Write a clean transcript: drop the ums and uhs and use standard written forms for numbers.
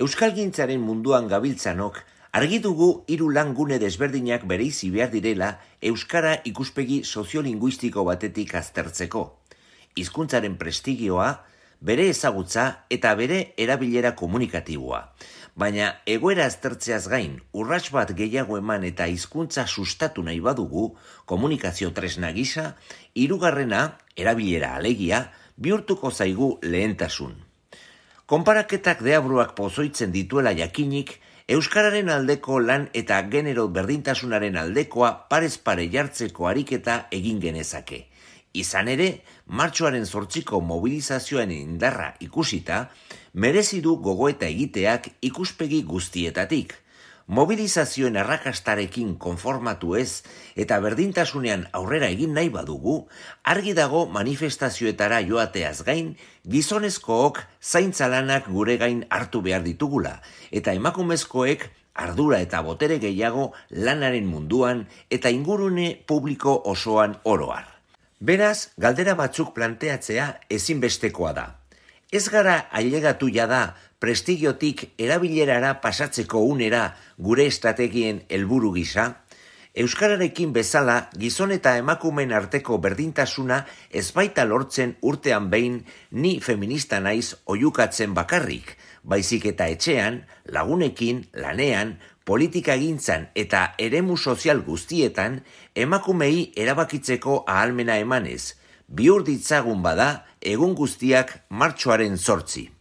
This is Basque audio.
Euskalgintzaren munduan gabiltzanok, argi dugu 3 lan-gune desberdinak bereizi behar direla euskara ikuspegi soziolinguistiko batetik aztertzeko. Hizkuntzaren prestigioa, bere ezagutza eta bere erabilera komunikatiboa. Baina egoera aztertzeaz gain, urrats bat gehiago eman eta hizkuntza sustatu nahi badugu, komunikazio tresna gisa, 3. erabilera alegia, bihurtuko zaigu lehentasun. Konparaketak deabruak pozoitzen dituela jakinik, euskararen aldeko lan eta genero berdintasunaren aldekoa parez pare jartzeko ariketa egin genezake. Izan ere, martxoaren 8ko mobilizazioen indarra ikusita, merezi du gogoeta egiteak ikuspegi guztietatik. Mobilizazioen arrakastarekin konformatu ez eta berdintasunean aurrera egin nahi badugu, argi dago manifestazioetara joateaz gain, gizonezkook zaintza lanak gure gain hartu behar ditugula, eta emakumezkoek ardura eta botere gehiago lanaren munduan eta ingurune publiko osoan oroar. Beraz, galdera batzuk planteatzea ezinbestekoa da. Ez gara ailegatu jada prestigiotik erabilerara pasatzeko unera gure estrategien helburu gisa? Euskararekin bezala gizon eta emakumeen arteko berdintasuna ez baita lortzen urtean behin ni feminista naiz oihukatzen bakarrik, baizik eta etxean, lagunekin, lanean, politikagintzan eta eremu sozial guztietan emakumei erabakitzeko ahalmena emanez, bihur ditzagun bada egun guztiak martxoaren 8.